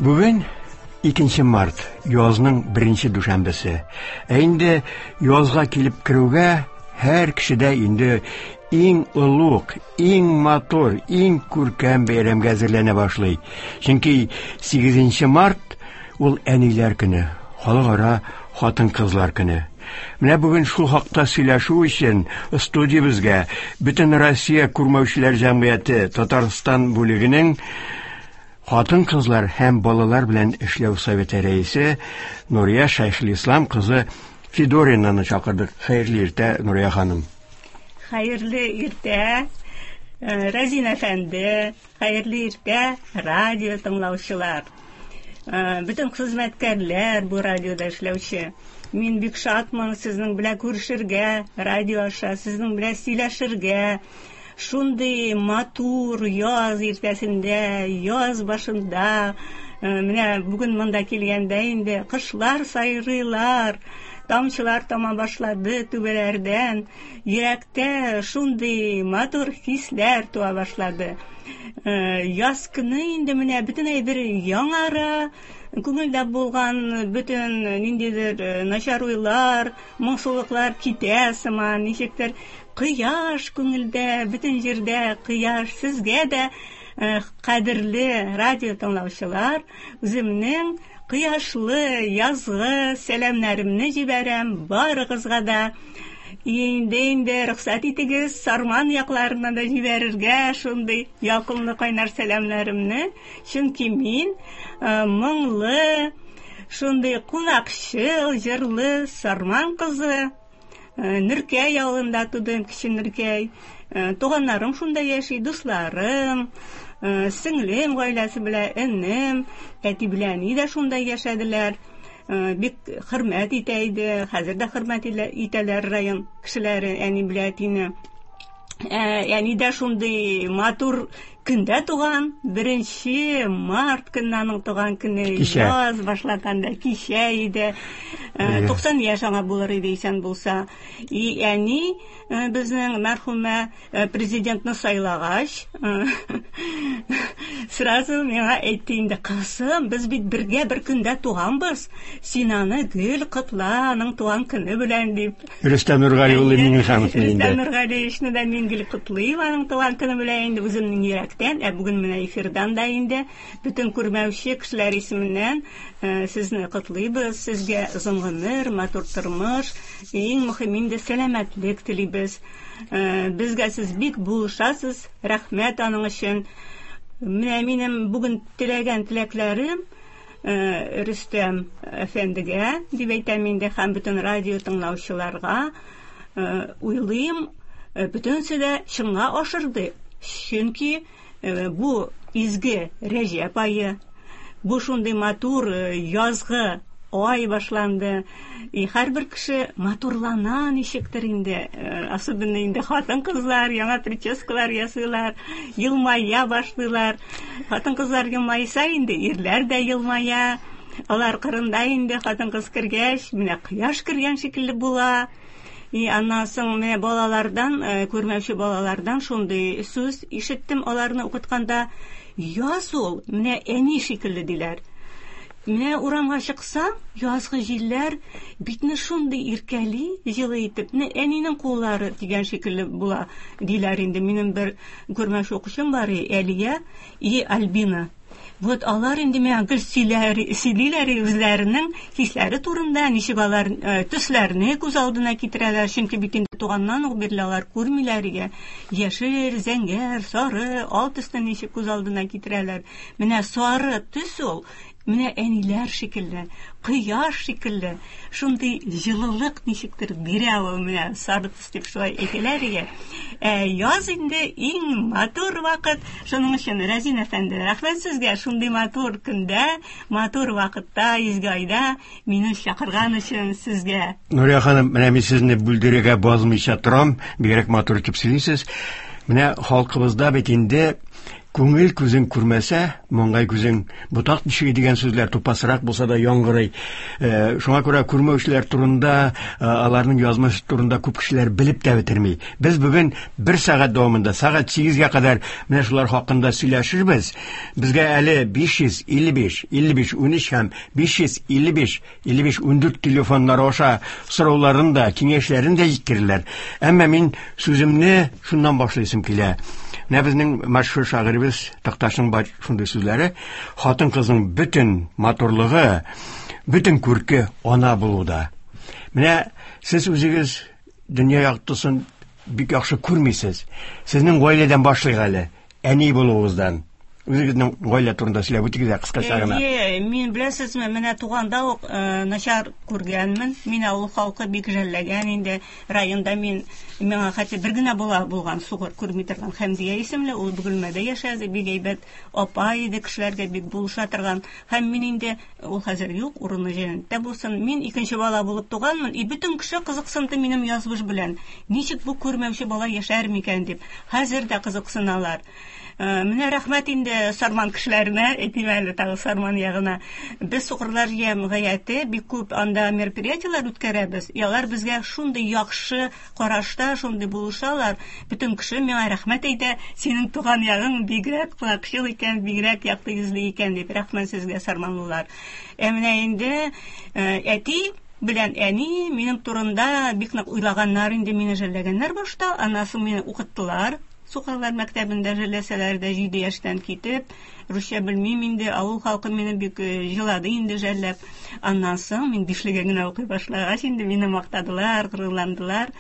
Бүген 2 март, язның беренче дүшәмбесе. Ә инде язга килеп керүгә һәр кешедә инде иң олуг, иң матур, иң күркәм бәйрәмгә әзерләнә башлый. Чөнки 8 март ул әниләр көне, халыкара хатын-кызлар көне. Менә бүген шул хакта сөйләшү өчен студиябезгә Бөтен Россия күрмәүчеләр җәмгыяте Татарстан бүлегенең хатын-кызлар һәм балалар белән эшләү советы рәисе Нурия Шәйхелислам кызы Федоринаны чакырдык. Хәерле иртә, Нурия ханым. Хәерле иртә, Разин әфәнде, хәерле иртә, радио тыңлаучылар. Бөтен хезмәткәрләр бу радиода эшләүче. Мин бик шатмын сезнең белән күрешергә, радио аша сезнең белән сөйләшергә. Шундый матур яз иртәсендә, яз башында, менә бүген монда килгәндә инде кошлар сайрыйлар, тамчылар тама башлады түбәләрдән, йөрәктә шундый матур хисләр туа башлады. Яз көне инде менә бөтен әйбер яңара, күңелдә булган бөтен ниндидер начар уйлар, моңсулыклар китә сыман, ничектер кояш күңелдә, бөтен җирдә кояш. Сезгә дә, кадерле радио тыңлаучылар, үземнең кояшлы язгы сәламнәремне җибәрәм барыгызга да. Инде рөхсәт итегез, Сарман якларына да җибәрергә шундый ялкынлы кайнар сәламнәремне, чөнки мин моңлы, шундый кунакчыл, җырлы Сарман кызы. Нөркәй авылында тудым, Кече Нөркәй. Туганнарым шунда яши, дусларым, сеңлем гаиләсе белән, энем, әти белән әни дә шунда яшәделәр. Бик хөрмәт итә иде, хәзер дә хөрмәт итәләр район кешеләре әни белән әтине. Әни дә шундый матур көндә туган, 1 март көнне аның туган көне, яз башланганда кичә иде. 90 яшь аңа булыр иде исән булса. И әни безнең мәрхүмә президентны сайлагач, сразу миңа әйтте инде, кызым, без бит бергә бер көндә туганбыз, син аны гел котла, аның туган көне белән дип. Рөстәм Нургали улы Миңнехановны инде. Рөстәм Нургалиевичны да мин гел котлыйм аның туган көне белән инде үземнең йөрәктән, ә бүген менә эфирдан да инде бөтен күрмәүче кешеләр исеменнән сезне котлыйбыз, сезгә озын гомер, матур тормыш, иң мөһиме инде сәламәтлек телибез. Безгә сез бик булышасыз, рәхмәт аның өчен. Менә минем бүген теләгән теләкләрем Рөстәм әфәндегә дип әйтәм инде һәм бөтен радио тыңлаучыларга, уйлыйм, бөтенесе дә чынга ашырды. Чөнки бу изге Рәҗәп ае, бу шундый матур язгы ай башланды. И һәрбер кеше матурлана ничектер инде, особенно инде хатын-кызлар яңа прическалар ясыйлар, елмая башлыйлар. Хатын-кызлар елмайса инде, ирләр дә елмая. Алар кырында инде хатын-кыз кергәч, менә кояш кергән шикелле була. И аннан соң менә балалардан, күрмәүче балалардан шундый сүз ишеттем аларны укытканда, яз ул, менә әни шикелле диләр. Менә урамга чыксаң, язгы җилләр битне шундый иркәли, җылы итеп, менә әнинең куллары дигән шикелле була, диләр инде. Минем бер күрмәүче укучым бар, Әлия и Альбина. Вот алар инде миңа гел сөйлиләр үзләренең хисләре турында, ничек алар төсләрне күз алдына китерәләр, чөнки бит инде туганнан ук бирле алар күрмиләр иде. Яшел, зәңгәр, сары, ал төсне ничек күз алдына китерәләр. Менә сары төс ул, менә әниләр шикелле, кояш шикелле, шундый җылылык ничектер бирә ул, менә сары төс дип шулай әйтәләр иде. Яз инде иң матур вакыт. Шуның өчен, Рәзин әфәнде, рәхмәт сезгә шундый матур көндә, матур вакытта, изге айда мине чакырган өчен сезгә. Нурия ханым, менә мин сезне бүлдерергә базмыйча торам, бигрәк матур итеп сөйлисез. Менә халкыбызда бит инде Күңел күзең күрмәсә, маңгай күзең ботак тишеге дигән сүзләр тупасрак булса да яңгырый. Шуңа күрә күрмәүчеләр турында, аларның язмышы турында күп кешеләр белеп тә бетерми. Без бүген бер сәгать дәвамында, сәгать 8-гә кадәр менә шулар хакында сөйләшербез. Безгә әле 555 55 13 һәм 555 55 14 телефоннары аша сорауларын да, киңәшләрен дә җиткерерләр. Әмма мин сүземне шуннан башлыйсым килә. Менә безнең мәшһүр шагыйребез Такташның бар шундый сүзләре: хатын-кызның бөтен матурлыгы, бөтен күрке ана булуда. Менә сез үзегез дөнья яктысын бик яхшы күрмисез. Сезнең гаиләдән башлыйк әле, әни булуыгыздан. Үзегезнең гаилә турында сөйләп үтегез әле кыскача гына. Әйе, мин беләсезме, менә туганда ук начар күргәнмен. Мин авыл халкы бик жәлләгән инде. Районда мин миңа хәтта бер генә бала булган, сукыр күрми торган Хәмдия исемле, ул Бөгелмәдә яшәде, бик әйбәт апа иде, кешеләргә бик булыша торган. Һәм мин инде, ул хәзер юк, урыны җәннәттә булсын. Мин икенче бала булып туганмын, и бөтен кеше кызыксынды минем язмыш белән. Ничек бу күрмәүче бала яшәр микән дип. Хәзер дә кызыксыналар. Менә рәхмәт инде Сарман кешеләренә, әйтим әле тагы Сарман ягына. Без сукырлар җәмгыяте бик күп анда мероприятиеләр үткәрәбез. И алар безгә шундый яхшы карашта, шундый булышалар. Бөтен кеше миңа рәхмәт әйтә, синең туган ягың бигрәк кунакчыл икән, бигрәк якты йөзле икән дип. Рәхмәт сезгә, сарманлылар. Ә менә инде әти белән әни минем турында бик нык уйлаганнар инде, мине жәлләгәннәр башта, аннан соң мине укыттылар. Сукырлар мәктәбендә жәлләсәләр дә 7 яшьтән китеп, русча белмим инде, авыл халкы мине бик җылады инде жәлләп. Аннан соң мин бишлегә генә укый башлагач инде мине мактадылар, горурландылар.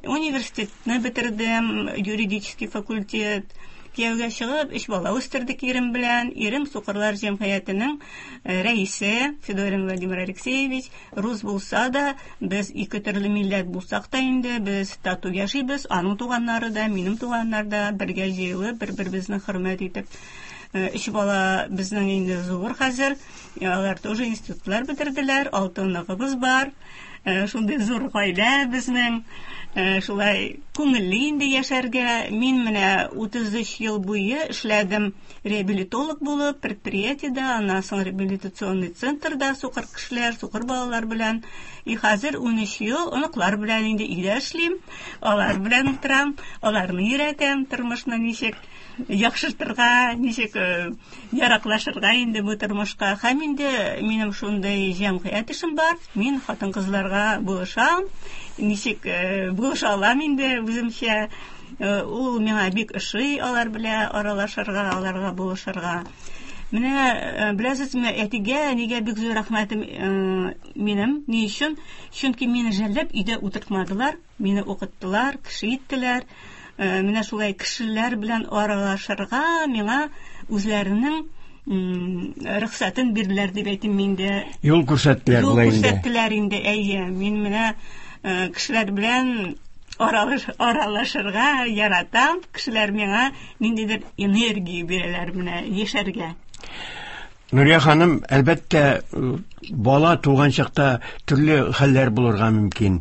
Университетны бетердем, юридический факультет. Кияүгә чыгып, 3 бала үстердек ирем белән. Ирем Сукырлар җәмгыятенең рәисе Федорин Владимир Алексеевич. Рус булса да, без ике төрле милләт булсак та инде, без тату яшибез. Аның туганнары да, минем туганнар да бергә җыелып, бер-беребезне хөрмәт итеп. 3 бала безнең инде зур хәзер. Алар тоже институтлар бетерделәр, 6 оныгыбыз бар. Шундый зур гаилә безнең. Шулай күңелле инде яшәргә. Мин менә 33 ел буе эшләдем реабилитолог булып, предприятиедә, аннан соң реабилитационный центрда сукыр кешеләр, сукыр балалар белән. И хәзер 13 ел оныклар белән инде өйдә эшлим, алар белән утырам, аларны өйрәтәм тормышны ничек яхшыртырга, ничек яраклашырга инде бу тормышка. Һәм инде минем шундый җәмгыять эшем бар. Мин хатын-кызларга булышам, ничек булыша алам инде үземчә. Ул миңа бик ошый алар белән аралашырга, аларга булышырга. Менә беләсезме, әтигә, әнигә бик зур рәхмәтем минем. Ни өчен? Чөнки мине жәлләп өйдә утыртмадылар, мине укыттылар, кеше иттеләр. Менә шулай кешеләр белән аралашырга миңа үзләренең рөхсәтен бирделәр дип әйтим инде. Юл күрсәттеләр болай инде. Юл күрсәттеләр инде, әйе. Мин менә кешеләр белән аралашырга яратам. Кешеләр миңа ниндидер энергия бирәләр менә яшәргә. Нурия ханым, әлбәттә, бала туган чакта төрле хәлләр булырга мөмкин,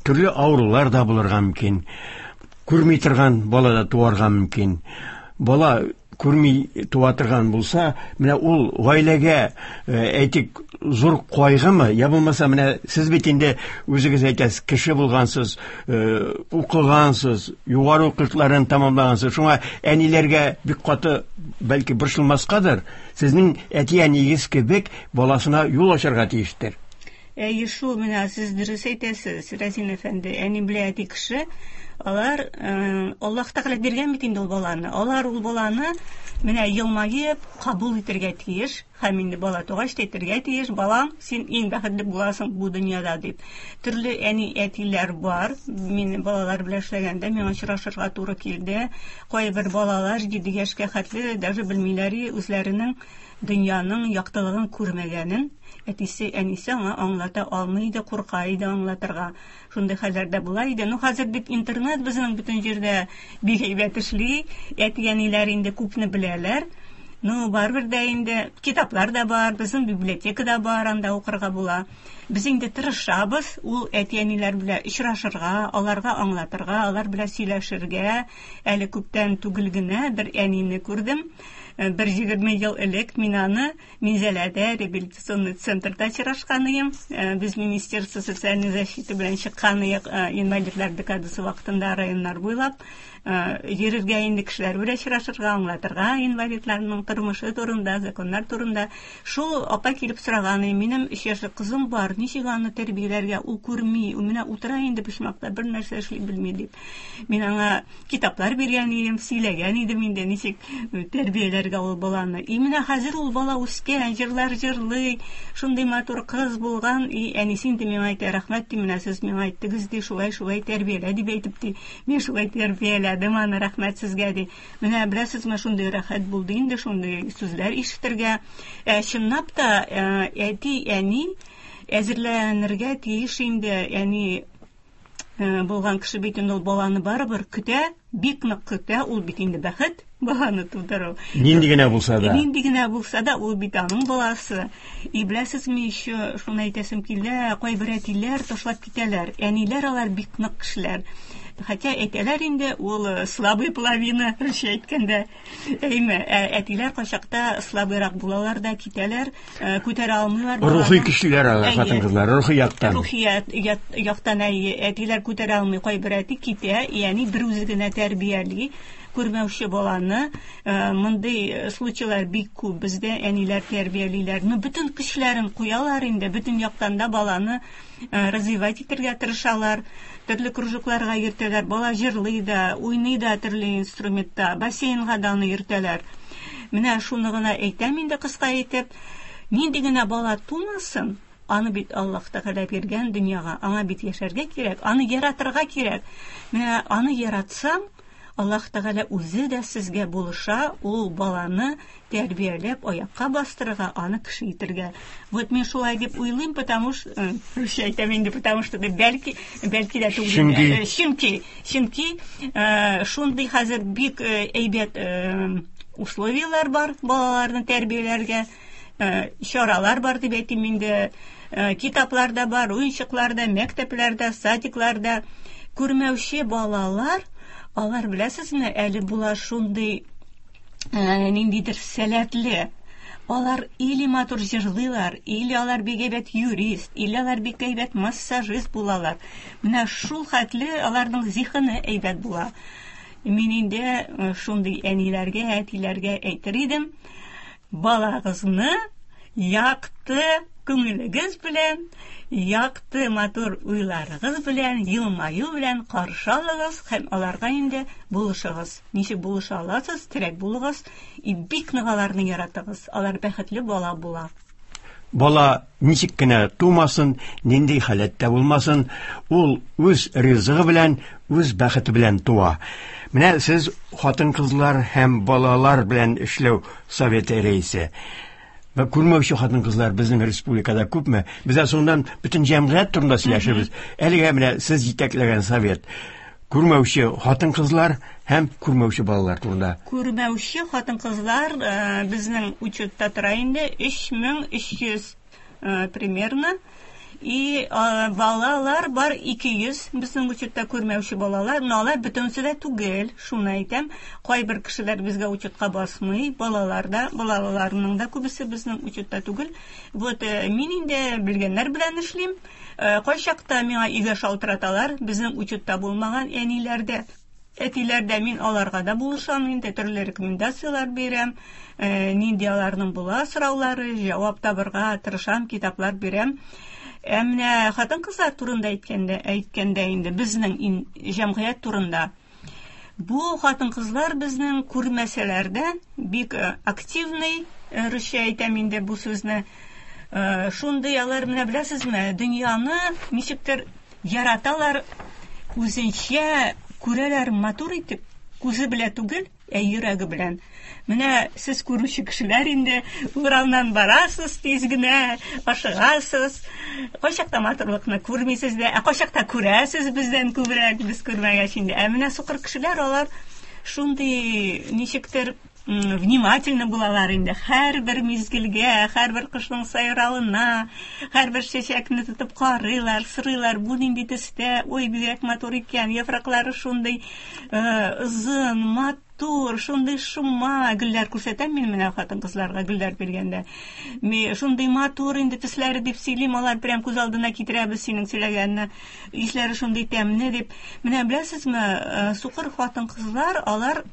төрле авырулар да булырга мөмкин. Күрми торган бала да туарга мөмкин. Бала күрми туа торган булса, менә ул гаиләгә, әйтик, зур кайгымы, я булмаса, менә сез бит инде үзегез әйтәсез, кеше булгансыз, укыгансыз, югары уку йортларын тәмамлагансыз. Шуңа әниләргә бик каты бәлки борчылмаскадыр. Сезнең әти-әниегез кебек баласына юл ачарга тиештер. Әйе шул, менә сез дөрес әйтәсез, Рәзин әфәнде. Әни белән әти кеше, алар Аллаһ Тәгалә биргән бит инде ул баланы. Алар ул баланы менә елмаеп кабул итәргә тиеш. Һәм инде бала тугач та әйтергә тиеш, балам, син иң бәхетле буласың бу дөньяда дип. Төрле әни әтиләр бар. Мин балалар белән эшләгәндә миңа очрашырга туры килде. Кайбер балалар 7 яшькә хәтле даже белмиләр үзләренең дөньяның яктылыгын күрмәгәнен. Әтисе, әнисе аңа аңлата алмый иде, курка иде аңлатырга. Шундый хәлләр дә була иде. Ну, хәзер бит интернет безнең бөтен җирдә бик әйбәт эшли. Әти-әниләр инде күпне беләләр. Ну, барыбер дә инде китаплар да бар, безнең библиотека да бар, анда укырга була. Без инде тырышабыз ул әти-әниләр белән очрашырга, аларга аңлатырга, алар белән сөйләшергә. Әле күптән түгел генә бер әнине күрдем. Бер 20 ел элек мин аны Минзәләдә реабилитационный центрда очрашкан идем. Без Министерство социальной защиты белән чыккан идек инвалидлар декадасы вакытында районнар буйлап. Йөрергә инде кешеләр белән очрашырга, аңлатырга инвалидларның тормышы турында, законнар турында. Шул апа килеп сораган, минем 3 яшьлек кызым бар, ничек аны тәрбияләргә, ул күрми, ул менә утыра инде почмакта, бер нәрсә эшли белми дип. Мин аңа китаплар биргән идем, сөйләгән идем инде, ничек тәрбияләргә ул баланы. И менә хәзер ул бала үскән, җырлар җырлый, шундый матур кыз булган, и әнисе инде миңа әйтә, рәхмәт ди, менә сез миңа әйттегез ди, шулай-шулай тәрбиялә дип әйтеп ди. Мин шулай тәрбияләдем аны, рәхмәт сезгә ди. Менә беләсезме, шундый рәхәт булды инде, шундый сүзләр ишетергә. Ә чынлап та әти, әни әзерләнергә тиеш инде, әни булган кеше бит инде ул баланы барыбер көтә, бик нык көтә, ул бит инде бәхет баланы тудыру. Нинди генә булса да. Нинди генә булса да, ул бит аның баласы. И беләсезме еще, шуны әйтәсем килә, кайбер әтиләр ташлап китәләр. Әниләр алар бик нык кешеләр. Хотя әйтәләр инде, ул слабый половина, русча әйткәндә. Әйме, әтиләр кайчакта слабыйрак булалар да китәләр, күтәрә алмыйлар. Рухи көчлеләр алар, хатын-кызлар, рухи яктан. Рухи яктан әтиләр күтәрә алмый, кайбер әти китә, ягъни бер үзе генә тәрбияли күрмәүче баланы. Мондый случайлар бик күп бездә, әниләр тәрбиялиләр. Ну, бөтен көчләрен куялар инде, бөтен яктан да баланы развивать итәргә тырышалар, төрле кружокларга йөртәләр, бала җырлый да, уйный да төрле инструментта, бассейнга да аны йөртәләр. Менә шуны гына әйтәм инде кыска итеп, нинди генә бала тумасын, аны бит Аллаһ Тәгалә биргән дөньяга, аңа бит яшәргә кирәк, аны яратырга кирәк. Менә аны яратсаң, Аллаһ Тәгалә үзе дә сезгә булыша, ул баланы тәрбияләп, аякка бастырырга, аны кеше итергә. Вот мин шулай дип уйлыйм, потому что, русча әйтәм инде, потому что бәлки, бәлки дә түгел. Чөнки. Чөнки, чөнки шундый хәзер бик әйбәт условияләр бар балаларны тәрбияләргә, чаралар бар дип әйтим инде, китаплар да бар, уенчыклар да, мәктәпләр дә, садиклар да. Күрмәүче балалар, алар беләсезме, әле була шундый ниндидер сәләтле. Алар или матур җырлыйлар, или алар бик әйбәт юрист, или алар бик әйбәт массажист булалар. Менә шул хәтле аларның зиһене әйбәт була. Мин инде шундый әниләргә, әтиләргә әйтер идем, балагызны якты күңелегез белән, якты матур уйларыгыз белән, елмаю белән каршы алыгыз һәм аларга инде булышыгыз. Ничек булыша аласыз, терәк булыгыз, и бик нык аларны яратыгыз. Алар бәхетле бала була. Бала ничек кенә тумасын, нинди халәттә булмасын, ул үз ризыгы белән, үз бәхете белән туа. Менә сез хатын-кызлар һәм балалар белән эшләү советы рәисе. Вә күрмәүче хатын-кызлар безнең республикада күпме? Без соңыннан бөтен җәмгыять турында сөйләшербез. Әлегә менә сез җитәкләгән совет күрмәүче хатын-кызлар һәм күрмәүче балалар турында. Күрмәүче хатын-кызлар безнең учетта тора инде 3300 примерно. И балалар бар 200 безнең учетта күрмәүче балалар, но алар бөтенесе дә түгел, шуны әйтәм. Кайбер кешеләр безгә учетка басмый, балалар да, балаларның да күбесе безнең учетта түгел. Вот мин инде белгәннәр белән эшлим. Кайчакта миңа өйгә шалтыраталар, безнең учетта булмаган әниләр дә, әтиләр дә, мин аларга да булышам инде, төрле рекомендацияләр бирәм, нинди аларның була сораулары, җавап табырга тырышам, китаплар бирәм. Ә менә хатын-кызлар турында әйткәндә инде безнең җәмгыять турында. Бу хатын-кызлар безнең күрмәсәләр дә бик активный, русча әйтәм инде бу сүзне. Шундый алар, менә беләсезме, дөньяны ничектер яраталар, үзенчә күрәләр матур итеп, күзе белә түгел, ә йөрәге белән. Менә сез күрүче кешеләр инде урамнан барасыз, тиз генә ашыгасыз. Кайчакта матурлыкны күрмисез дә, ә кайчакта күрәсез бездән күбрәк, без күрмәгәч инде. Ә менә сукыр кешеләр алар шундый ничектер Внимательно булалар инде. Һәрбер мизгелгә, һәрбер кошның сайравына, һәрбер чәчәкне тотып карыйлар, сорыйлар, бу нинди төстә, ой, бигрәк матур икән, яфраклары шундый озын, матур, шундый шома гөлләр күрсәтәм мин менә хатын-кызларга гөлләр биргәндә. Шундый матур инде төсләре дип сөйлим, алар прям күз алдына китерәбез синең сөйләгәнне. Исләре шундый тәмле дип. Менә беләсезме, сукыр хатын-кызлар, алар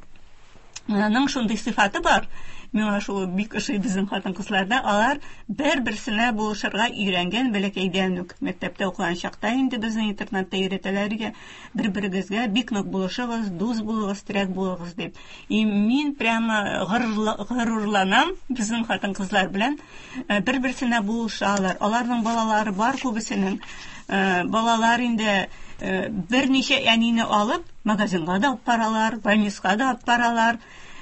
ның шундый сыйфаты бар. Миңа шул бик ошый безнең хатын-кызларда. Алар бер-берсенә булышырга өйрәнгән бәләкәйдән үк. Мәктәптә укыган чакта инде безнең интернатта өйрәтәләр иде. Бер-берегезгә бик нык булышыгыз, дус булыгыз, терәк булыгыз дип. И мин прямо горурланам безнең хатын-кызлар белән. Бер-берсенә булышалар. Аларның балалары бар күбесенең. Балалар инде берничә әнине алып, магазинга да алып баралар, больницага да алып баралар.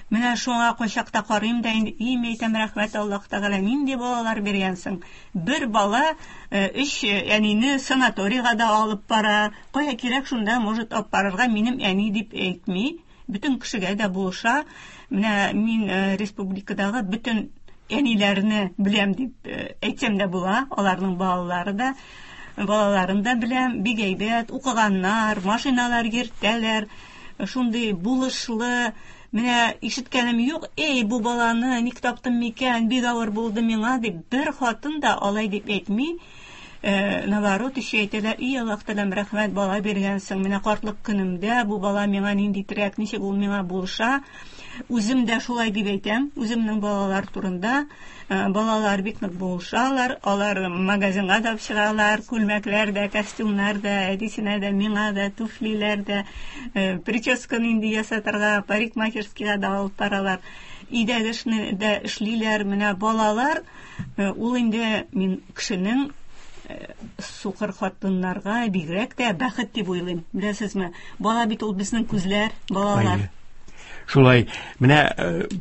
Менә шуңа кайчакта карыйм да инде, и, мин әйтәм, рәхмәт Аллаһ Тәгалә, нинди балалар биргәнсең. Бер бала өч әнине санаторийга да алып бара. Кая кирәк шунда может алып барырга, минем әни дип әйтми. Бөтен кешегә дә булыша. Менә мин республикадагы бөтен әниләрне беләм дип әйтсәм дә була, аларның балалары да, балаларын да беләм, бик әйбәт укыганнар, машиналар йөртәләр, шундый булышлы. Менә ишеткәнем юк, эй, бу баланы ник таптым микән, бик авыр булды миңа дип, бер хатын да алай дип әйтми. Наоборот, еще әйтәләр, и, Аллаһ Тәгаләм, рәхмәт, бала биргәнсең, менә картлык көнемдә бу бала миңа нинди терәк, ничек ул миңа булыша. Үзем дә шулай дип әйтәм, үземнең балалар турында. Балалар бик нык булышалар, алар магазинга да чыгалар, күлмәкләр дә, костюмнар да, әтисенә дә, миңа да, туфлиләр дә, прическа нинди ясатырга, парикмахерскийга да алып баралар. Өйдәге эшне дә эшлиләр. Менә балалар, ул инде мин кешенең сукыр хатыннарга бигрәк тә бәхет дип уйлыйм. Беләсезме, бала бит ул безнең күзләр, балалар. Шулай, менә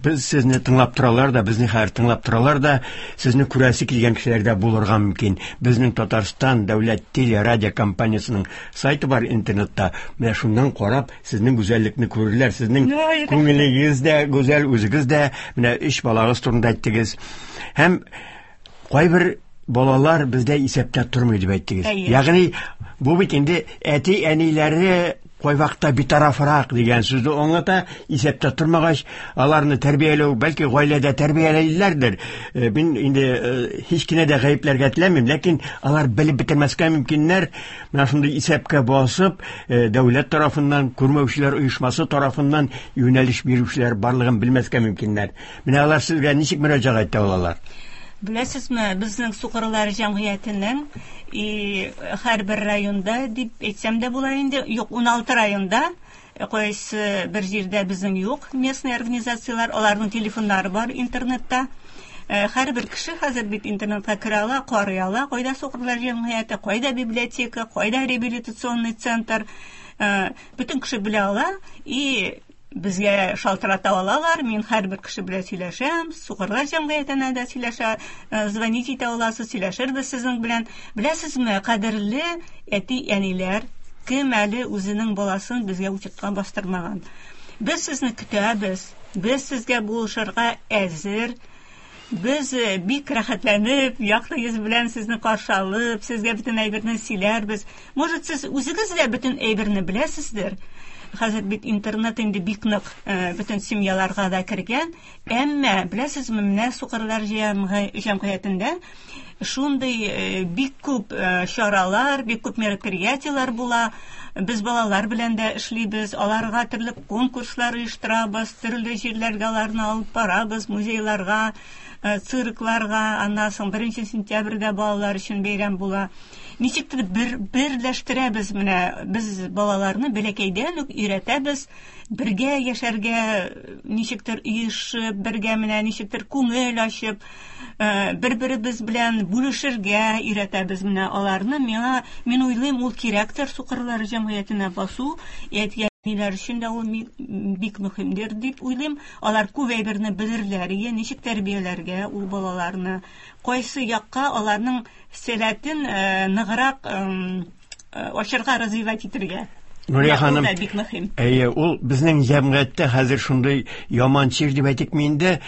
без сезне тыңлап торалар да, безне хәзер тыңлап торалар да, сезне күрәсе килгән кешеләр дә булырга мөмкин. Безнең Татарстан дәүләт телерадиокомпаниясенең сайты бар интернетта. Менә шуннан карап, сезнең гүзәллекне күрерләр. Сезнең күңелегез дә гүзәл, үзегез дә менә өч балагыз турында әйттегез. Һәм кайбер балалар бездә исәптә тормый дип әйттегез. Ягъни бу бит инде әти-әниләре кайвакытта битарафрак дигән сүзне аңлата, исәптә тормагач, аларны тәрбияләү, бәлки гаиләдә тәрбияләйләрдер. Мин инде һич кенә дә гаепләргә теләмим, ләкин алар белеп бетермәскә мөмкиннәр. Менә шундый исәпкә басып, дәүләт тарафыннан, күрмәүчеләр оешмасы тарафыннан юнәлеш бирүчеләр барлыгын белмәскә мөмкиннәр. Менә алар сезгә ничек мөрәҗәгать итә алалар? Беләсезме, безнең сукырлар җәмгыятенең и һәрбер районда дип әйтсәм дә була инде, юк, 16 районда, кайсы бер җирдә безнең юк местный организацияләр, аларның телефоннары бар интернетта. Һәрбер кеше хәзер бит интернетка керә ала, карый ала, кайда сукырлар җәмгыяте, кайда библиотека, кайда реабилитационный центр. Бөтен кеше белә ала и безгә шалтырата алалар. Мин һәрбер кеше белән сөйләшәм, сукырлар җәмгыятенә дә сөйләшә, звонить итә аласыз, сөйләшербез сезнең белән. Беләсезме, кадерле әти-әниләр, кем әле үзенең баласын безгә учетка бастырмаган? Без сезне көтәбез, без сезгә булышырга әзер. Без бик рәхәтләнеп, якты йөз белән сезне каршы алып, сезгә бөтен әйберне сөйләрбез. Может, сез үзегез дә бөтен әйберне беләсездер. Хәзер бит интернет инде бик нык бөтен семьяларга да кергән. Әмма, беләсезме, менә сукырлар җәмгыятендә шундый бик күп чаралар, бик күп мероприятиеләр була. Без балалар белән дә эшлибез, аларга төрле конкурслар оештырабыз, төрле җирләргә аларны алып барабыз, музейларга, циркларга. Аннан соң 1 сентябрьдә балалар өчен бәйрәм була. Ничектер берләштерәбез менә без балаларны бәләкәйдән үк өйрәтәбез бергә яшәргә, ничектер оешып, бергә менә ничектер күңел ачып, бер-беребез белән бүлешергә өйрәтәбез менә аларны. Миңа, мин уйлыйм, ул кирәктер сукырлар җәмгыятенә басу, әти-әниләр өчен дә ул бик мөһимдер дип уйлыйм. Алар күп әйберне белерләр, ничек тәрбияләргә ул балаларны, кайсы якка аларның сәләтен ныграк ачырга, развивать итергә. Нурия ханым, бик мөһим. Әйе, ул безнең җәмгыятьтә хәзер шундый яман чир дип әйтикме инде,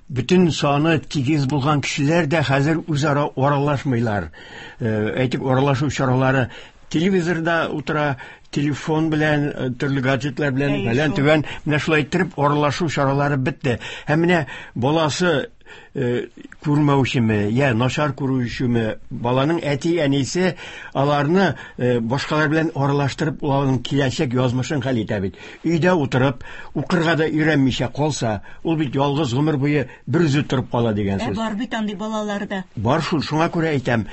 бөтен саны тигез булган кешеләр дә хәзер үзара аралашмыйлар. Әйтик, аралашу чаралары телевизорда утыра, телефон белән, төрле гаджетлар белән, фәлән төгән, менә шулай иттереп аралашу чаралары бетте. Һәм менә баласы күрмәүчеме, я начар күрүчеме, баланың әти-әнисе аларны башкалар белән аралаштырып, аларның киләчәк язмышын хәл итә бит. Өйдә утырып, укырга да өйрәнмичә калса, ул бит ялгыз гомер буе бер үзе торып кала дигән сүз. Бар бит андый балалар да. Бар шул, шуңа күрә әйтәм.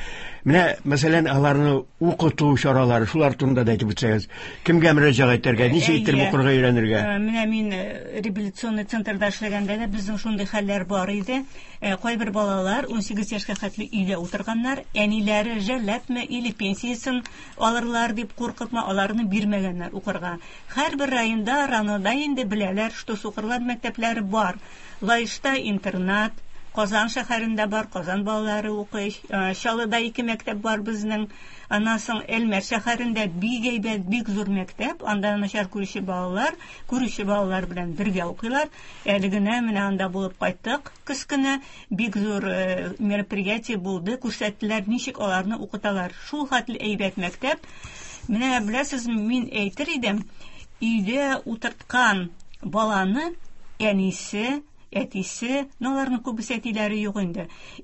Менә, мәсәлән, аларны укыту чаралары, шулар турында да әйтеп үтсәгез. Кемгә мөрәҗәгать итәргә, ничек иттереп укырга өйрәнергә? Менә мин реабилитационный центрда эшләгәндә дә безнең шундый хәлләр бар иде. Кайбер балалар 18 яшькә хәтле өйдә утырганнар, әниләре жәлләпме или пенсиясен алырлар дип куркыпмы, аларны бирмәгәннәр укырга. Һәрбер районда, РАНОда инде беләләр, что сукырлар мәктәпләре бар. Лаешта интернат, Казан шәһәрендә бар, Казан балалары укый. Чаллыда 2 мәктәп бар безнең. Аннан соң Әлмәт шәһәрендә бик әйбәт, бик зур мәктәп. Анда начар күрүче балалар, күрүче балалар белән бергә укыйлар. Әле генә менә анда булып кайттык көз көне. Бик зур мероприятие булды, күрсәттеләр, ничек аларны укыталар. Шул хәтле әйбәт мәктәп. Менә беләсез, мин әйтер идем, өйдә утырткан баланы әнисе, әтисе, но аларның күбесе әтиләре юк инде.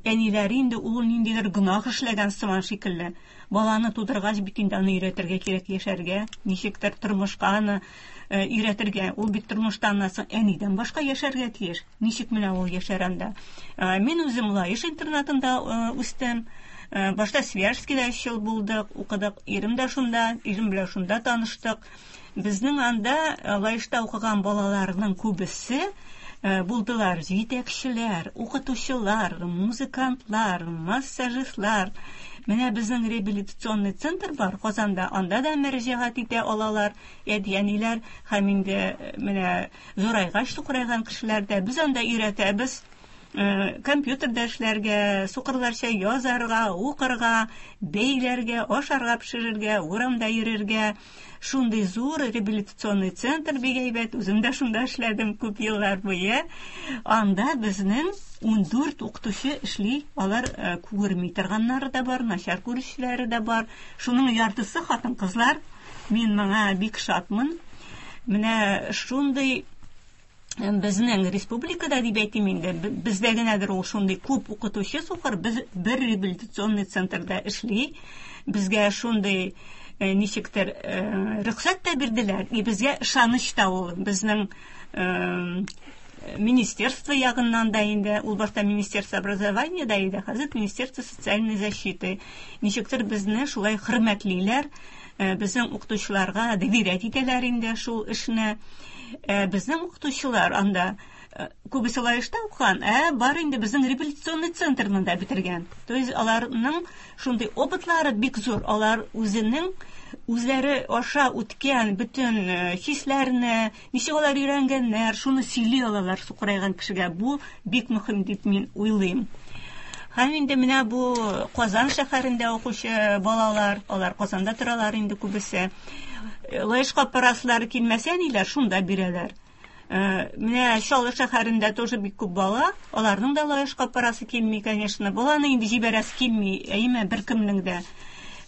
Әниләре инде ул ниндидер гөнаһ эшләгән сыман шикелле. Баланы тудыргач бит инде аны өйрәтергә кирәк яшәргә, ничектер тормышка аны өйрәтергә. Ул бит тормышта аннан соң әнидән башка яшәргә тиеш. Ничек менә ул яшәр анда? Мин үзем Лаеш интернатында үстем. Башта Свияжскида өч ел булдык, укыдык. Ирем дә шунда, ирем белән шунда таныштык. Безнең анда Лаешта укыган балаларның күбесе булдылар җитәкчеләр, укытучылар, музыкантлар, массажистлар. Менә безнең реабилитационный центр бар Казанда, анда да мөрәҗәгать итә алалар әти-әниләр һәм инде менә зурайгач сукырайган кешеләр дә. Без анда өйрәтәбез компьютерда эшләргә, сукырларча язарга, укырга, бәйләргә, ашарга пешерергә, урамда йөрергә. Шундый зур реабилитационный центр бик әйбәт, үзем дә шунда эшләдем күп еллар буе. Анда безнең 14 укытучы эшли, алар күрми торганнары да бар, начар күрүчеләре дә бар. Шуның яртысы хатын-кызлар. Мин моңа бик шатмын. Менә шундый безнең республикада дип әйтим инде, бездә генәдер ул шундый күп укытучы сукыр, без бер реабилитационный центрда эшли. Безгә шундый ничектер рөхсәт тә бирделәр, и безгә ышаныч та ул безнең министерство ягыннан да инде, ул башта министерство образования да иде, хәзер министерство социальной защиты. Ничектер безне шулай хөрмәтлиләр, безнең укытучыларга доверять итәләр инде шул эшне. Безнең укытучылар анда күбесе Лаешта укыган, бар инде безнең реабилитационный центрны да бетергән. То есть аларның шундый опытлары бик зур, алар үзенең үзләре аша үткән бөтен хисләрне, ничек алар өйрәнгәннәр, шуны сөйли алалар сукырайган кешегә. Бу бик мөһим дип мин уйлыйм. Һәм инде менә бу Казан шәһәрендә укучы балалар, алар Казанда торалар инде күбесе. Лаешка параслары килмәсә, ниләр шунда бирәләр. Менә Чаллы шәһәрендә тоже бик күп бала, аларның да Лаешка парасы килми, конечно. Баланы инде җибәрәсе килми, әйме, беркемнең дә.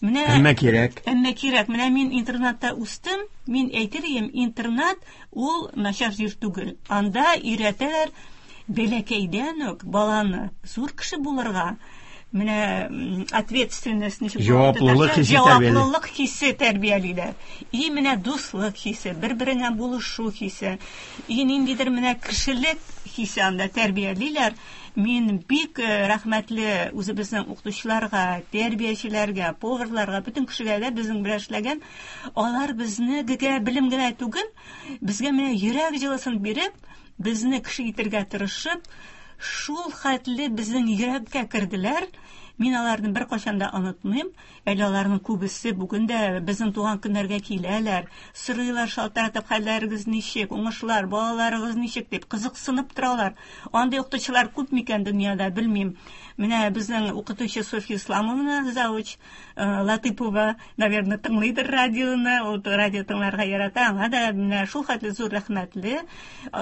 Менә әмма кирәк. Әмма кирәк. Менә мин интернатта үстем. Мин әйтер идем, интернат ул начар җир түгел. Анда өйрәтәләр бәләкәйдән үк баланы зур кеше булырга. Менә ответственность ничек җаваплылык хисе җаваплылык хисе тәрбиялиләр. И менә дуслык хисе, бер-береңә булышу хисе, и ниндидер менә кешелек хисе анда тәрбиялиләр. Мин бик рәхмәтле үзебезнең укытучыларга, тәрбиячеләргә, поварларга, бөтен кешегә дә безнең белән эшләгән. Алар безне гегә белем генә түгел, безгә менә йөрәк җылысын биреп, безне кеше итергә тырышып, шул хәтле безнең йөрәккә керделәр. Мин аларны беркайчан да онытмыйм. Әле аларның күбесе бүген дә безнең туган көннәргә киләләр, сорыйлар шалтыратып, хәлләрегез ничек, уңышлар, балаларыгыз ничек дип кызыксынып торалар. Андый укытучылар күп микән дөньяда, белмим. Менә безнең укытучы Софья Исламовна, завуч Латыпова, наверное, тыңлыйдыр радионы, ул радио тыңларга ярата. Аңа да менә шул хәтле зур рәхмәтле.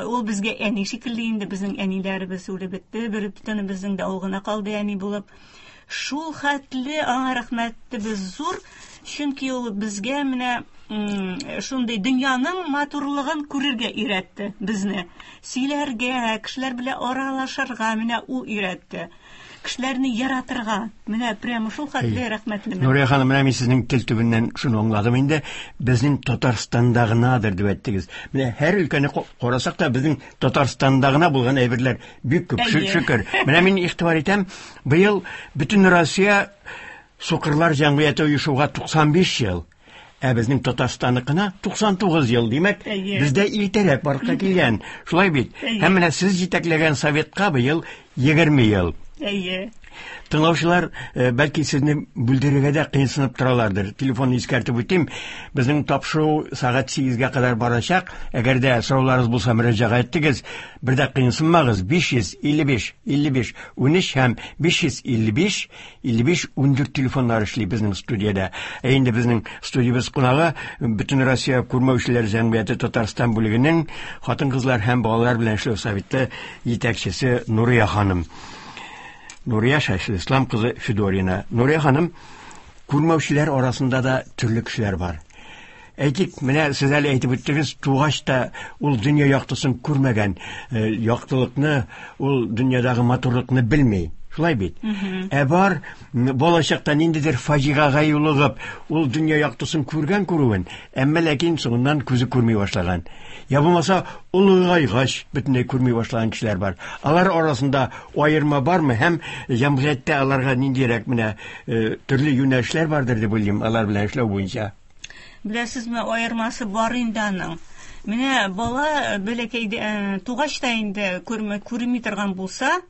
Ул безгә әни шикелле инде, безнең әниләребез үлеп бетте, бер бөтенебезнең дә ул гына калды әни булып. Шул хәтле аңа рәхмәтебез зур, чөнки ул безгә менә шундый дөньяның матурлыгын күрергә өйрәтте безне. Сөйләргә, кешеләр белән аралашырга менә ул өйрәтте. Кешеләрне яратырга. Менә прямо шул хәтле рәхмәтлемен. Нурия ханым, менә мин сезнең тел төбеннән шуны аңладым инде. Безнең Татарстанда гынадыр дип әйттегез. Менә һәр өлкәне карасак та, безнең Татарстанда гына булган әйберләр бик күп, шөкер. Менә мин игътибар итәм, быел бөтен Россия сукырлар җәмгыяте оешуга 95 ел. Ә безнең Татарстанныкына 99 ел, димәк, бездә иртәрәк барлыкка килгән. Шулай бит? Һәм менә сез җитәкләгән советка быел 20 ел. Әйе. Тыңлаучылар, бәлки сезне бүлдерергә дә кыенсынып торалардыр. Телефонны искәртеп үтим. Безнең тапшыру сәгать 8-гә кадәр барачак. Әгәр дә сорауларыгыз булса, мөрәҗәгать итегез. Бер дә кыенсынмагыз. 555 55 13 һәм 555 55 14 телефоннар эшли безнең студиядә. Ә инде безнең студиябез кунагы Бөтен Россия күрмәүчеләр җәмгыяте Татарстан бүлегенең хатын-кызлар һәм балалар белән эшләү советы җитәкчесе Нурия ханым. Нурия Шәйхелислам кызы Федорина. Нурия ханым, күрмәүчеләр арасында да төрле кешеләр бар. Әйтик, менә сез әле әйтеп үттегез, тугач та ул дөнья яктысын күрмәгән, яктылыкны, ул дөньядагы матурлыкны белми. Шулай бит? Ә бар балачакта ниндидер фаҗигагә юлыгып, ул дөнья яктысын күргән күрүен, әмма ләкин соңыннан күзе күрми башлаган. Я булмаса, олыгайгач бөтенләй күрми башлаган кешеләр бар. Алар арасында аерма бармы һәм җәмгыятьтә аларга ниндирәк менә төрле юнәлешләр бардыр дип уйлыйм, алар белән эшләү буенча. Беләсезме, аермасы бар инде аның. Менә бала бәләкәйдә тугач та инде күрми, күрми торган булса,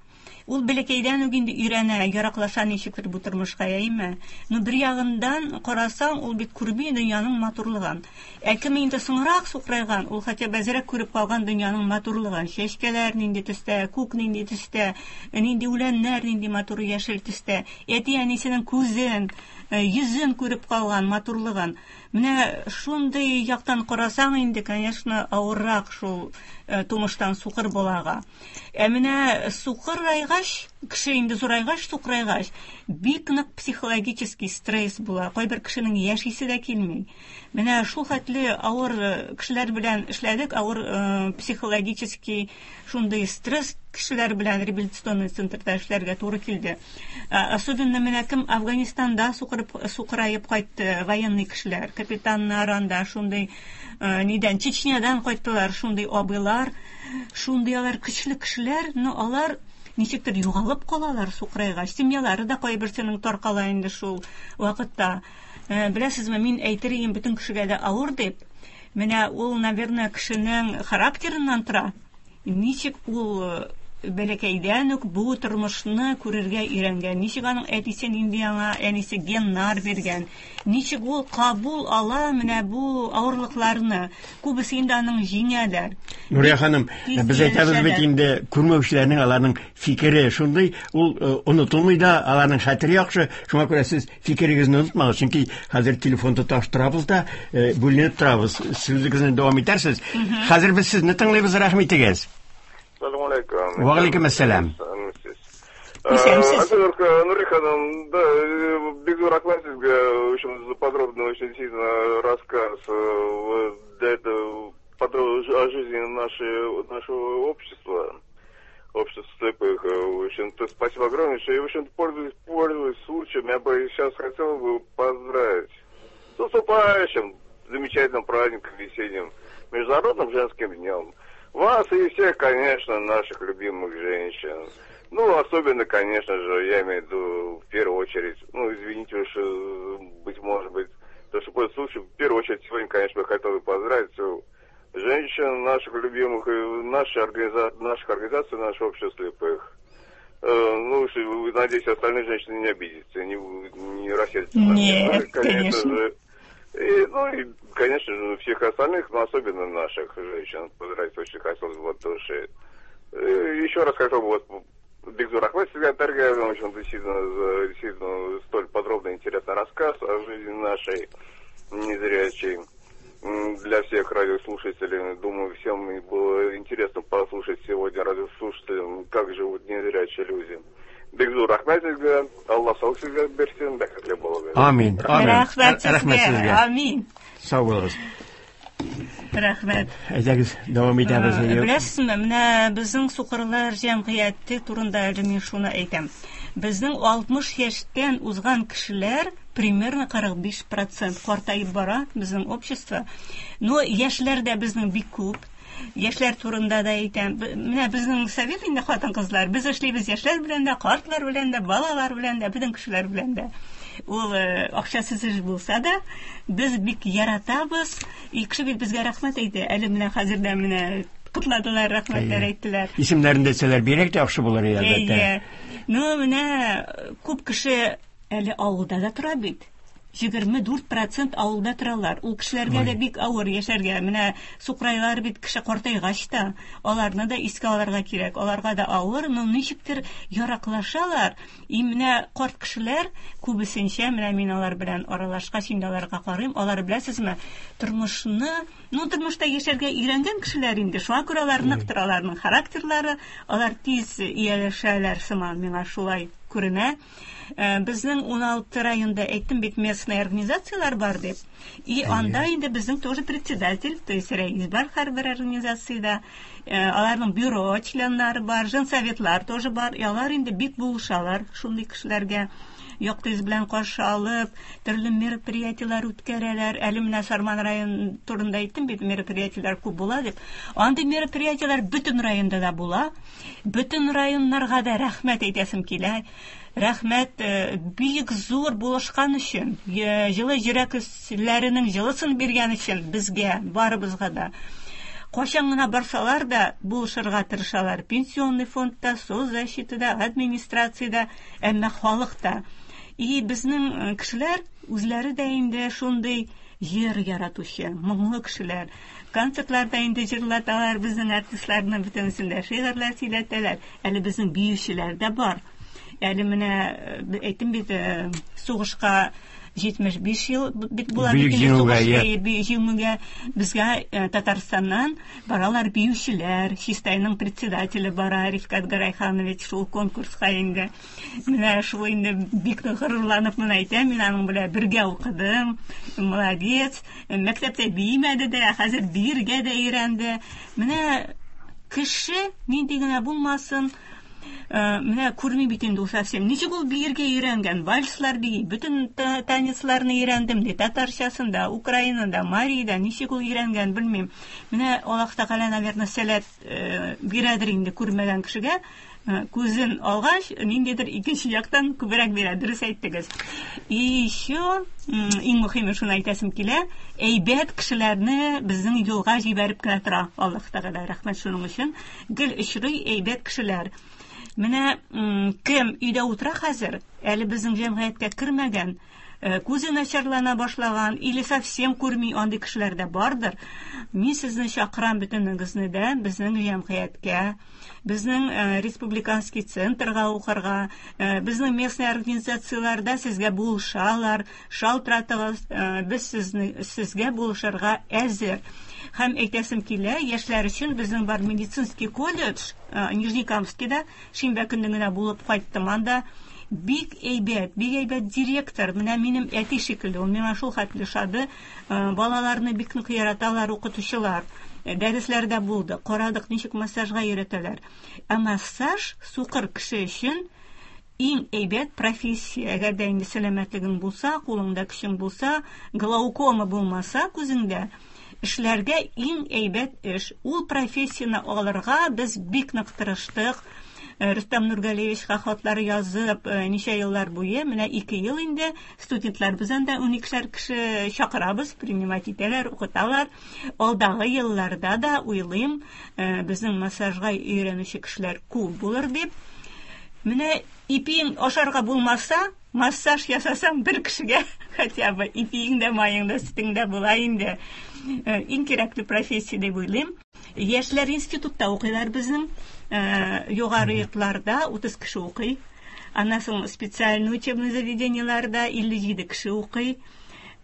ул бәләкәйдән үк инде өйрәнә, яраклаша ничектер бу тормышка, әйеме? Ну, бер ягыннан карасаң, ул бит күрми дөньяның матурлыгын. Ә кем инде соңрак сукырайган, ул хотя бы әзрәк күреп калган дөньяның матурлыгын. Чәчкәләр нинди төстә, күк нинди төстә, нинди үләннәр нинди матур яшел төстә. Әти-әнисенең күзен, йөзен күреп калган, матурлыгын. Менә шундый яктан карасаң инде, конечно, авыррак шул тумыштан сукыр балага. Ә менә сукырайгач, кеше инде зурайгач, сукырайгач, бик нык психологический стресс була. Кайбер кешенең яшисе дә килми. Менә шул хәтле авыр кешеләр белән эшләдек, авыр психологический шундый стресс кешеләр белән реабилитационный центрда эшләргә туры килде. Особенно менә кем Афганистанда сукыраеп кайтты, военный кешеләр, капитаннар анда шундый нидән, Чечнядан кайттылар, шундый абыйлар, шундый алар көчле кешеләр, но алар ничектер югалып калалар сукырайгач. Семьялары да кайберсенең таркала инде шул вакытта. Беләсезме, мин әйтер идем, бөтен кешегә дә авыр дип. Менә ул, наверное, кешенең характерыннан тора. Ничек ул бәләкәйдән үк бу тормышны күрергә өйрәнгән, ничек аның әтисе нинди аңа әнисе геннар биргән, ничек ул кабул ала менә бу авырлыкларны. Күбесе инде аның җиңәләр. Нурия ханым, без әйтәбез бит инде, күрмәүчеләрнең аларның фикере шундый, ул онытылмый да, аларның хәтере яхшы. Шуңа күрә сез фикерегезне онытмагыз, чөнки хәзер телефон тоташтырабыз да, бүленеп торабыз. Сүзегезне дәвам итәрсез. Хәзер без сезне тыңлыйбыз, рәхим итегез. Салам алейкум. Ва алейкум ассалам. Исәнмесез. Нурия ханым, да, бик зур рәхмәт сезгә, очень за подробный, очень сильно рассказ для этого о жизни нашего общества, общества слепых. В общем-то, спасибо огромное. И, в общем-то, пользуясь случаем, я бы сейчас хотел бы поздравить с наступающим замечательным праздником весенним, Международным женским днем. Вас и всех, конечно, наших любимых женщин. Ну, особенно, конечно же, я имею в виду, в первую очередь, ну, извините уж, быть может быть, то, что пользуясь случаем, в первую очередь, сегодня, конечно, я хотел бы поздравить женщин наших любимых, и наших организаций, нашего общества слепых. Ну, надеюсь, остальные женщины не обидятся, не рассердятся. Нет, конечно. Же, и, ну, и, конечно же, всех остальных, но особенно наших женщин, поздравить очень хотелось бы от души. Еще раз хотел бы вот бик зур рәхмәт сезгә, в общем, действительно, действительно, столь подробный интересный рассказ о жизни нашей незрячей. Для всех радиослушателей, думаю, всем было интересно послушать сегодня радиослушателям, как живут незрячие люди. Бик зур рәхмәт сезгә, Алла саулык сезгә бирсен, бәхетле булыгыз. Амин. Амин. Рәхмәт Рәхмәт сезгә. сезгә. Амин. Сау булыгыз. Рәхмәт. Әйдәгез, дәвам итәбез. Беләсезме, менә безнең сукырлар җәмгыяте турында әле мин шуны әйтәм. Безнең 60 яшьтән узган кешеләр примерно 45% картаеп бара безнең общество. Но яшьләр дә безнең бик күп. Яшьләр турында да әйтәм. Менә безнең совет инде хатын-кызлар. Без эшлибез яшьләр белән дә, картлар белән дә, балалар белән дә, бөтен кешеләр белән дә. Ул акчасыз эш булса да, без бик яратабыз. И кеше бит безгә рәхмәт әйтә. Әле менә хәзер дә менә котладылар, рәхмәтләр әйттеләр. Исемнәрен дә әйтсәләр, бигрәк тә яхшы булыр иде, әлбәттә. Әйе. Ну, менә күп кеше әле авылда да тора бит. 24% авылда торалар. Ул кешеләргә дә бик авыр яшәргә. Менә сукырайлар бит кеше картайгач та, аларны да искә алырга кирәк. Аларга да авыр, но ничектер яраклашалар. И менә карт кешеләр күбесенчә, менә мин алар белән аралашкач, инде аларга карыйм, алар беләсезме, тормышны, ну, тормышта яшәргә өйрәнгән кешеләр инде. Шуңа күрә алар нык тора, аларның характерлары, алар тиз ияләшәләр сыман, миңа шулай күренә. Безнең 16 районда әйттем бит, местные организацияләр бар дип. И анда инде безнең тоже председатель, то есть рәис бар һәрбер организациядә. Аларның бюро членнары бар, женсоветлар тоже бар. И алар инде бик булышалар шундый кешеләргә. Якты йөз белән каршы алып, төрле мероприятиеләр үткәрәләр. Әле менә Сарман район турында әйттем бит, мероприятиеләр күп була дип. Андый мероприятиеләр бөтен районда да була. Бөтен районнарга да рәхмәт әйтәсем килә. Рәхмәт, бик зур булышкан өчен, җылы йөрәкләренең җылысын биргән өчен безгә, барыбызга да. Кайчан гына барсалар да булышырга тырышалар. Пенсионный фондта, соцзащитада, администрациядә, әмма халык та. И безнең кешеләр үзләре дә инде шундый җыр яратучы, моңлы кешеләр. Концертларда инде җырлаталар безнең артистларны, бөтенесендә шигырьләр сөйләтәләр. Әле безнең биючеләр дә бар. Әле менә әйттем бит, сугышка 75 ел бит була Бөек бит инде Җиңүгә, сугыш, иә. Бөек Җиңүгә безгә Татарстаннан баралар биючеләр. Чистайның председателе бара, Рифкат Гарайханович, шул конкурска инде. Менә шул инде бик горурланып моны әйтәм, мин аның белән бергә укыдым. Молодец. Мәктәптә биемәде дә, хәзер биергә дә өйрәнде. Менә кеше нинди генә булмасын, менә күрми бит инде ул совсем. Ничек ул биергә өйрәнгән? Вальслар бии, бөтен танецларны өйрәндем ди. Татарчасында, Украинада, Марида ничек ул өйрәнгән, белмим. Менә Аллаһ Тәгалә, наверное, сәләт бирәдер инде күрмәгән кешегә. Күзен алгач, ниндидер икенче яктан күбрәк бирә, дөрес әйттегез. И еще, иң мөһиме шуны әйтәсем килә, әйбәт кешеләрне безнең юлга җибәреп кенә тора Аллаһ Тәгалә, рәхмәт шуның өчен. Гел очрый әйбәт кешеләр. Менә кем өйдә утыра хәзер, әле безнең җәмгыятькә кермәгән, күзе начарлана башлаган или совсем күрми, андый кешеләр дә бардыр. Мин сезне чакырам бөтенегезне дә безнең җәмгыятькә, безнең республиканский центрга укырга, безнең местный организацияләрдә сезгә булышалар, шалтыратыгыз, без сезгә булышырга әзер. Һәм әйтәсем килә, яшьләр өчен безнең бар медицинский колледж, Нижнекамскида, шимбә көнне генә булып кайттым анда. Бик әйбәт, бик әйбәт директор, менә минем әти шикелле, ул миңа шул хәтле ошады. Балаларны бик нык яраталар укытучылар. Дәресләрдә булды, карадык, ничек массажга өйрәтәләр. Ә массаж сукыр кеше өчен иң әйбәт профессия. Әгәр дә инде сәламәтлегең булса, кулыңда көчең булса, глаукома булмаса күзеңдә, эшләргә иң әйбәт эш. Ул профессияне алырга без бик нык тырыштык. Рөстәм Нургалиевичка хатлар язып, ничә еллар буе, менә 2 ел инде студентлар без анда уникешәр кеше чакырабыз, принимать итәләр, укыталар. Алдагы елларда да уйлыйм, безнең массажга өйрәнүче кешеләр күп булыр дип. Менә ипиең ашарга булмаса, массаж ясасаң бер кешегә хотя бы ипиең дә, маең да, сөтең дә була инде. Иң кирәкле профессия дип уйлыйм. Яшьләр институтта укыйлар безнең. Югары йортларда 30 кеше укый. Аннан соң специальный учебный заведениеларда 57 кеше укый.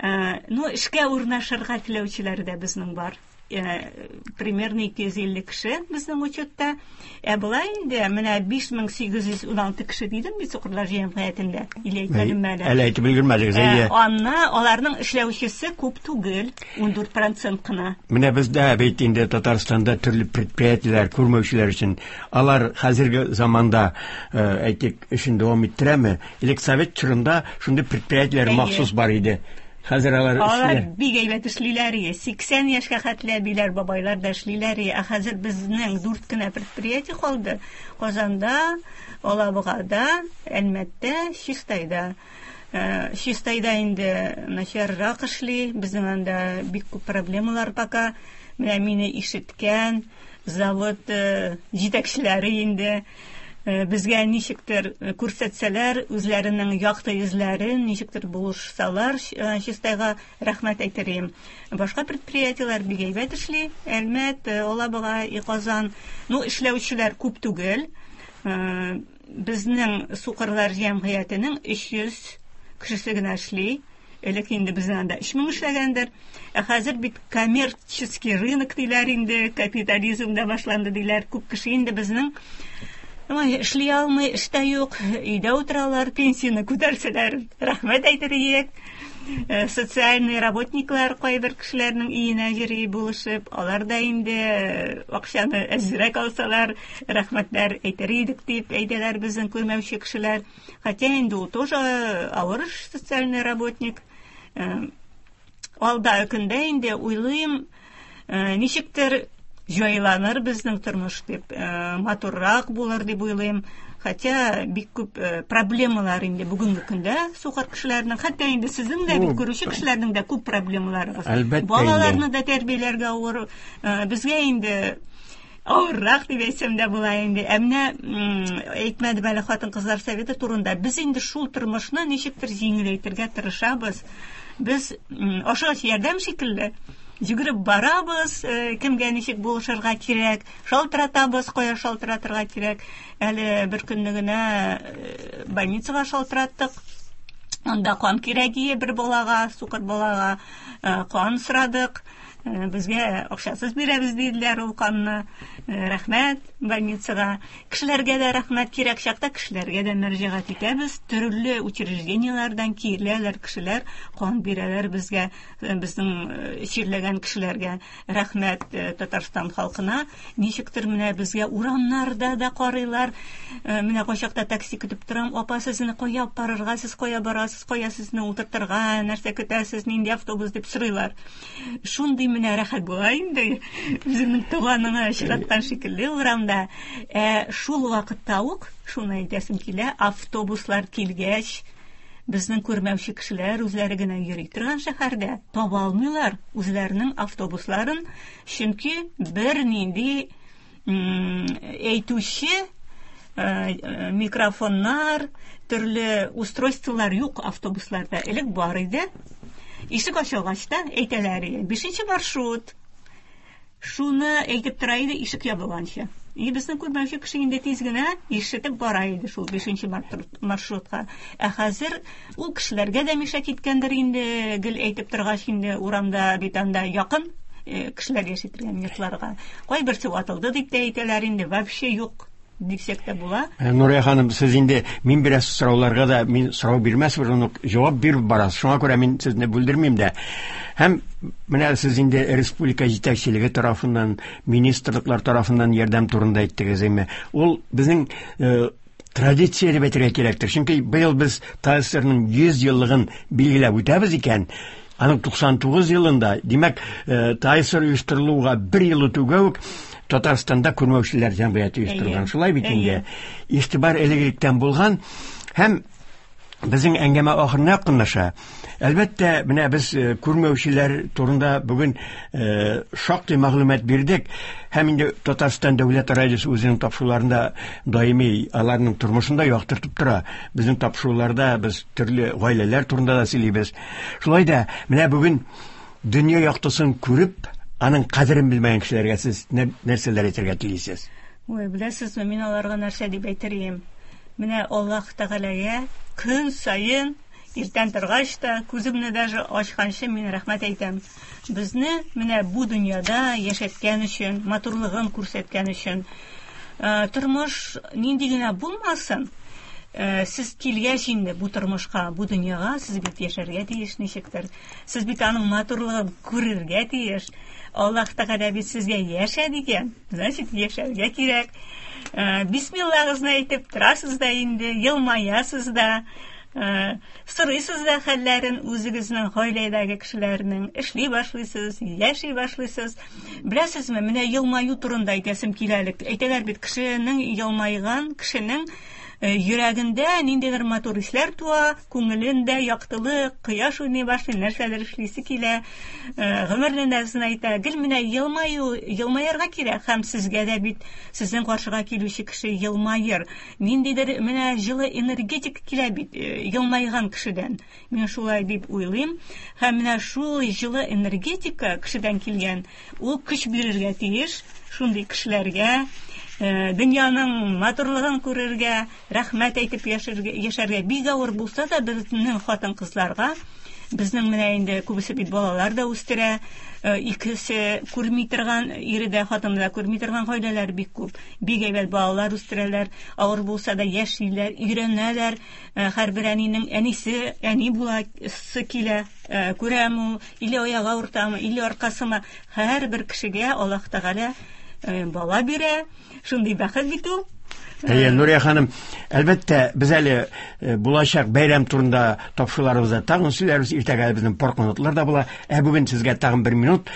Ну, эшкә урнашырга теләүчеләр дә безнең бар. Примерно 250 кеше безнең учетта. Ә болай инде менә 5816 кеше дидем бит сукырлар җәмгыятендә. Или әйтмәдемме әле? Әле әйтеп өлгермәдегез, әйе. Анна аларның эшләүчесе күп түгел, 14% кына. Менә бездә бит инде Татарстанда төрле предприятиеләр күрмәүчеләр өчен алар хәзерге заманда, әйтик, эшен дәвам иттерәме? Элек совет чорында шундый предприятиеләр махсус бар иде. Хәзер алар Алар бик әйбәт эшлиләр, 80 яшькә хәтле әбиләр, бабайлар да эшлиләр. Ә хәзер безнең 4 кенә предприятие калды. Казанда, Алабугада, Әлмәттә, Чистайда. Чистайда инде начаррак эшли, безнең анда бик күп проблемалар пока. Менә мине ишеткән завод җитәкчеләре инде безгә ничектер күрсәтсәләр, үзләренең якты йөзләрен ничектер булышсалар, Чистайга рәхмәт әйтер идем. Башка предприятиеләр бик әйбәт эшли. Әлмәт, Алабуга, Казан. Ну, эшләүчеләр күп түгел. Безнең сукырлар җәмгыятенең 300 кешесе генә эшли. Элек инде безнең анда 3000 эшләгәндер. Ә хәзер бит коммерческий рынок диләр инде, капитализм да башланды диләр. Күп кеше инде безнең эшли алмый, эш тә юк, өйдә утыралар, пенсияне күтәрсәләр, рәхмәт әйтер идек. Социальный работниклар кайбер кешеләрнең өенә йөри булышып, алар да инде акчаны әзрәк алсалар, рәхмәтләр әйтер идек дип әйтәләр безнең күрмәүче кешеләр. Хотя инде ул тоже авыр эш, социальный работник. Алда көндә инде уйлыйм, ничектер җайланыр безнең тормыш дип, матуррак булыр дип уйлыйм. Хотя бик күп проблемалар инде бүгенге көндә сукыр кешеләрнең, хәтта инде сезнең дә бит күрүче кешеләрнең дә күп проблемалары бар. Балаларны да тәрбияләргә авыр. Безгә инде авыррак дип әйтсәм дә була инде. Ә менә әйтмәдем әле хатын-кызлар советы турында. Без инде шул тормышны ничектер җиңеләйтергә тырышабыз. Без ашыгыч ярдәм шикелле йөгереп барабыз, кемгә ничек булышырга кирәк, шалтыратабыз, кая шалтыратырга кирәк. Әле бер көнне генә больницага шалтыраттык. Анда кан кирәк ие бер балага, сукыр балага кан сорадык. Безгә акчасыз бирәбез диделәр ул канны. Рәхмәт больницага. Кешеләргә дә рәхмәт, кирәк чакта кешеләргә дә мөрәҗәгать итәбез. Төрле учреждениеләрдән киләләр кешеләр, кан бирәләр безгә, безнең чирләгән кешеләргә. Рәхмәт Татарстан халкына. Ничектер менә безгә урамнарда да карыйлар. Менә кайчакта такси көтеп торам. Апа, сезне кая алып барырга, сез кая барасыз, кая сезне утыртырга, нәрсә көтәсез, нинди автобус дип сорыйлар. Шундый менә рәхәт була инде, үзеңнең туганыңа очраткан шикелле урамда. Шул вакытта ук, шуны әйтәсем килә, автобуслар килгәч, безнең күрмәүче кешеләр үзләре генә йөри торган шәһәрдә таба алмыйлар үзләренең автобусларын, чөнки бернинди әйтүче микрофоннар, төрле устройстволар юк автобусларда. Элек бар иде. Ишек ачылгач та әйтәләр иде, 5 маршрут. Шуны әйтеп тора иде ишек ябылганчы. И безнең күрмәүче кеше инде тиз генә ишетеп бара иде шул 5 маршрутка. Ә хәзер ул кешеләргә дә мишә киткәндер инде, гел әйтеп торгач инде урамда бит анда якын кешеләр яши торган йортларга. Кайберсе ватылды дип тә әйтәләр инде, вообще юк дисәк тә була. Нурия ханым, сез инде мин бераз сорауларга да мин сорау бирмәс борын ук җавап биреп барасыз. Шуңа күрә мин сезне бүлдермим дә. Һәм менә сез инде республика җитәкчелеге тарафыннан, министрлыклар тарафыннан ярдәм турында әйттегез, әйме. Ул безнең традиция дип әйтергә кирәктер. Чөнки быел без ТАССРның 100 еллыгын билгеләп үтәбез икән, аның 99 елында, димәк, ТАССР оештырылуга бер ел үтүгә үк Татарстанда Безнең әңгәмә ахырына якынлаша. Әлбәттә, менә без күрмәүчеләр турында бүген шактый мәгълүмат бирдек. Һәм инде Татарстан дәүләт радиосы үзенең тапшыруларында даими аларның тормышын да яктыртып тора. Безнең тапшыруларда без төрле гаиләләр турында да сөйлибез. Шулай да менә бүген дөнья яктысын күреп, аның кадерен белмәгән кешеләргә сез нәрсәләр әйтергә телисез? Ой, беләсезме, мин аларга нәрсә дип әйтер идем? Менә Аллаһ Тәгаләгә көн саен иртән торгач та, күземне даже ачканчы мин рәхмәт әйтәм. Безне менә бу дөньяда яшәткән өчен, матурлыгын күрсәткән өчен. Тормыш нинди генә булмасын, сез килгәч инде бу тормышка, бу дөньяга, сез бит яшәргә тиеш ничектер. Сез бит аның матурлыгын күрергә тиеш. Аллаһ Тәгалә бит сезгә яшә дигән, значит, яшәргә кирәк. Бисмиллагызны әйтеп торасыз да инде, елмаясыз да, сорыйсыз да хәлләрен үзегезнең гаиләдәге кешеләрнең, эшли башлыйсыз, яши башлыйсыз. Беләсезме, менә елмаю турында әйтәсем килә әле. Әйтәләр бит, кешенең елмайган, кешенең йөрәгендә ниндидер матур хисләр туа, күңелендә яктылык, кояш уйный башлый, нәрсәдер эшлисе килә, гомерне дә озынайта. Гел менә елмаю, елмаярга кирәк, һәм сезгә дә бит сезнең каршыга килүче кеше елмаер. Ниндидер менә җылы энергетик килә бит елмайган кешедән. Мин шулай дип уйлыйм. Һәм менә шул җылы энергетика кешедән килгән, ул көч бирергә тиеш шундый кешеләргә, дөньяның матурлыгын күрергә, рәхмәт әйтеп яшәргә. Бик авыр булса да безнең хатын-кызларга, безнең менә инде күбесе бит балалар да үстерә, икесе күрми торган, ире дә, хатыны да күрми торган гаиләләр бик күп. Бик әйбәт балалар үстерәләр, авыр булса да яшиләр, өйрәнәләр. Һәрбер әнинең әнисе, әни буласы килә, күрәм ул, или аягы авыртамы, или аркасымы. Һәрбер кешегә Аллаһ Тәгалә бала бирә. Шундый бәхет бит ул. Әйе, Нурия ханым, әлбәттә, без әле булачак бәйрәм турында тапшыруларыбызда тагын сөйләрбез. Иртәгә безнең пар канатлар да була. Ә бүген сезгә тагын бер минут.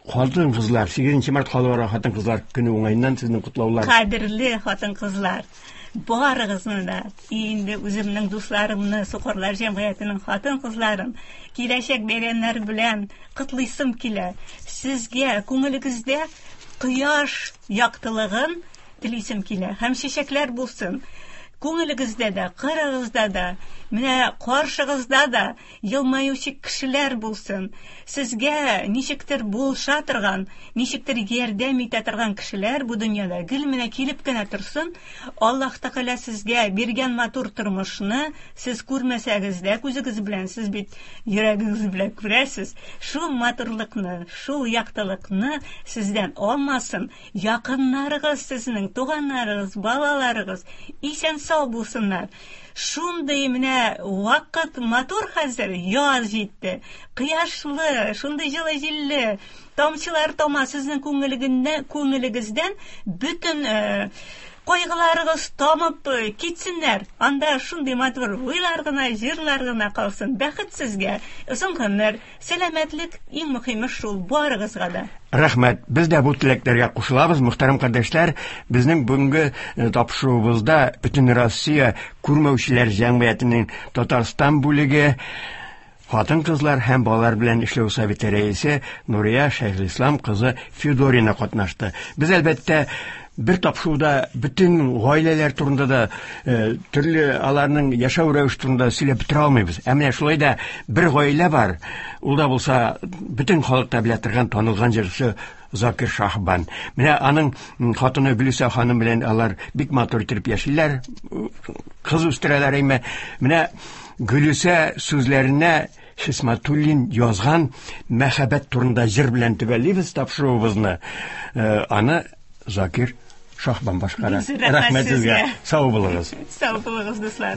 Хатын-кызлар, 8 март халыкара хатын-кызлар көне уңаеннан сезнең котлаулар. Кадерле хатын-кызлар, барыгызны да, инде үземнең дусларымны, Сукырлар җәмгыятенең хатын-кызларын киләчәк бәйрәмнәр белән котлыйсым килә. Сезгә күңелегездә кояш яктылыгын телисем килә. Һәм чәчәкләр булсын. Күңелегездә дә, кырыгызда да, менә каршыгызда да елмаючы кешеләр булсын. Сезгә ничектер булыша торган, ничектер ярдәм итә торган кешеләр бу дөньяда гел менә килеп кенә торсын. Аллаһ Тәгалә сезгә биргән матур тормышны сез күрмәсәгез дә күзегез белән, сез бит йөрәгегез белән күрәсез. Шул матурлыкны, шул яктылыкны сездән алмасын. Якыннарыгыз сезнең, туганнарыгыз, балаларыгыз исән-сау булсыннар. Шундый менә вакыт матур хәзер, яз җитте. Кояшлы, шундый җылы җилле, тамчылар тама сезнең күңелегездән бөтен кайгыларыгыз тамып китсеннәр. Анда шундый матур уйлар гына, җырлар гына калсын. Бәхет сезгә, озын гомер, сәламәтлек, иң мөһиме шул барыгызга да. Рәхмәт. Без дә бу теләкләргә кушылабыз, мөхтәрәм кардәшләр. Безнең бүгенге тапшыруыбызда Бөтен Россия күрмәүчеләр җәмгыятенең Татарстан бүлеге хатын-кызлар һәм балалар белән эшләү советы рәисе Нурия Шәйхелислам кызы Федорина катнашты. Без әлбәттә бер тапшыруда бөтен гаиләләр турында да, төрле аларның яшәү рәвеше турында сөйләп бетерә алмыйбыз. Ә менә шулай да бер гаилә бар. Ул да булса бөтен халык та белә торган танылган җырчы Закир Шаһбан. Менә аның хатыны Гөлүсә ханым белән алар бик матур итеп яшиләр, кыз үстерәләр әйме. Менә Гөлүсә сүзләренә Хисматуллин язган мәхәббәт турында җыр белән төгәллибез тапшыруыбызны. Аны Закир Шаһбан башкара. Рәхмәт сезгә. Сау булыгыз. Сау булыгыз, дуслар.